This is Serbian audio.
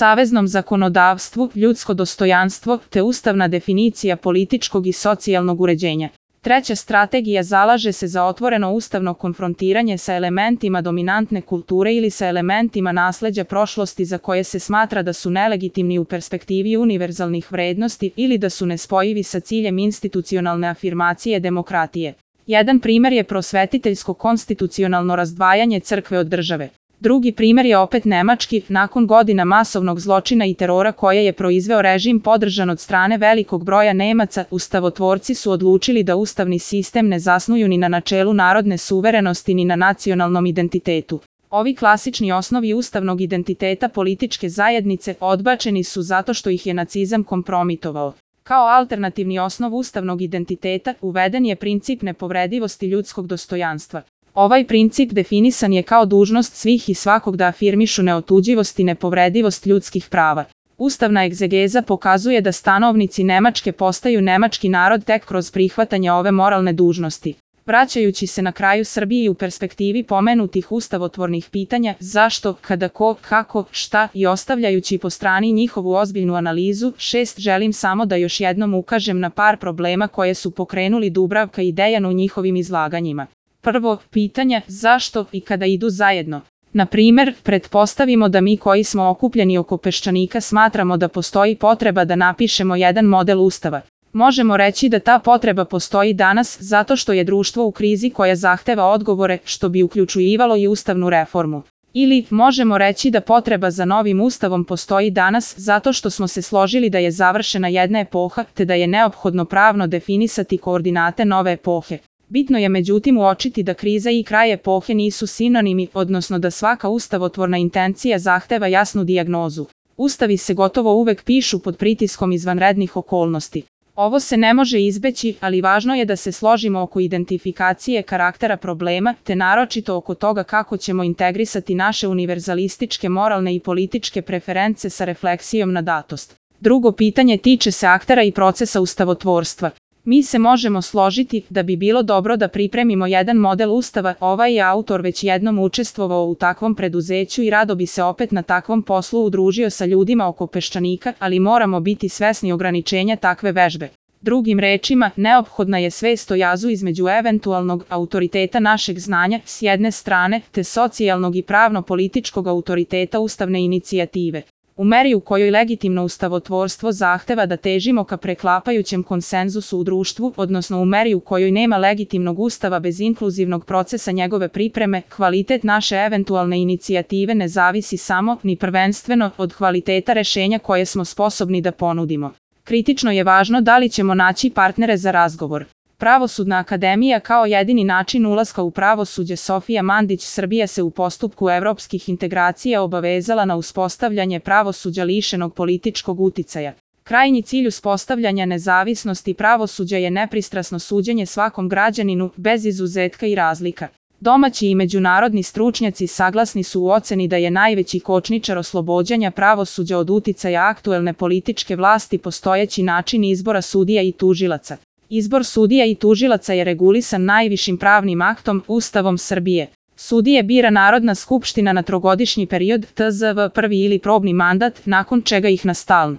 saveznom zakonodavstvu, ljudsko dostojanstvo, te ustavna definicija političkog i socijalnog uređenja. Treća strategija zalaže se za otvoreno ustavno konfrontiranje sa elementima dominantne kulture ili sa elementima nasleđa prošlosti za koje se smatra da su nelegitimni u perspektivi univerzalnih vrednosti ili da su nespojivi sa ciljem institucionalne afirmacije demokratije. Jedan primer je prosvetiteljsko konstitucionalno razdvajanje crkve od države. Drugi primer je opet nemački, nakon godina masovnog zločina i terora koje je proizveo režim podržan od strane velikog broja Nemaca, ustavotvorci su odlučili da ustavni sistem ne zasnuju ni na načelu narodne suverenosti ni na nacionalnom identitetu. Ovi klasični osnovi ustavnog identiteta političke zajednice odbačeni su zato što ih je nacizam kompromitovao. Kao alternativni osnov ustavnog identiteta uveden je princip nepovredivosti ljudskog dostojanstva. Ovaj princip definisan je kao dužnost svih i svakog da afirmišu neotuđivost i nepovredivost ljudskih prava. Ustavna egzegeza pokazuje da stanovnici Nemačke postaju nemački narod tek kroz prihvatanje ove moralne dužnosti. Vraćajući se na kraju Srbiji u perspektivi pomenutih ustavotvornih pitanja zašto, kada, ko, kako, šta i ostavljajući po strani njihovu ozbiljnu analizu, 6 želim samo da još jednom ukažem na par problema koje su pokrenuli Dubravka i Dejan u njihovim izlaganjima. Prvo, pitanja zašto i kada idu zajedno. Na primer, pretpostavimo da mi koji smo okupljeni oko Peščanika smatramo da postoji potreba da napišemo jedan model ustava. Možemo reći da ta potreba postoji danas zato što je društvo u krizi koja zahteva odgovore, što bi uključivalo i ustavnu reformu. Ili možemo reći da potreba za novim ustavom postoji danas zato što smo se složili da je završena jedna epoha te da je neophodno pravno definisati koordinate nove epohe. Bitno je međutim uočiti da kriza i kraj epohe nisu sinonimi, odnosno da svaka ustavotvorna intencija zahteva jasnu dijagnozu. Ustavi se gotovo uvek pišu pod pritiskom izvanrednih okolnosti. Ovo se ne može izbeći, ali važno je da se složimo oko identifikacije karaktera problema, te naročito oko toga kako ćemo integrisati naše univerzalističke moralne i političke preference sa refleksijom na datost. Drugo pitanje tiče se aktera i procesa ustavotvorstva. Mi se možemo složiti da bi bilo dobro da pripremimo jedan model ustava, ovaj je autor već jednom učestvovao u takvom preduzeću i rado bi se opet na takvom poslu udružio sa ljudima oko Peščanika, ali moramo biti svesni ograničenja takve vežbe. Drugim rečima, neophodna je svest o jazu između eventualnog autoriteta našeg znanja s jedne strane, te socijalnog i pravno-političkog autoriteta ustavne inicijative. U meri u kojoj legitimno ustavotvorstvo zahteva da težimo ka preklapajućem konsenzusu u društvu, odnosno u meri u kojoj nema legitimnog ustava bez inkluzivnog procesa njegove pripreme, kvalitet naše eventualne inicijative ne zavisi samo, ni prvenstveno, od kvaliteta rešenja koje smo sposobni da ponudimo. Kritično je važno da li ćemo naći partnere za razgovor. Pravosudna akademija kao jedini način ulaska u pravosuđe Sofija Mandić Srbija se u postupku evropskih integracija obavezala na uspostavljanje pravosuđa lišenog političkog uticaja. Krajnji cilj uspostavljanja nezavisnosti pravosuđa je nepristrasno suđenje svakom građaninu, bez izuzetka i razlika. Domaći i međunarodni stručnjaci saglasni su u oceni da je najveći kočničar oslobođenja pravosuđa od uticaja aktuelne političke vlasti postojeći način izbora sudija i tužilaca. Izbor sudija i tužilaca je regulisan najvišim pravnim aktom, Ustavom Srbije. Sudije bira Narodna skupština na trogodišnji period, tzv. prvi ili probni mandat, nakon čega ih na stalno.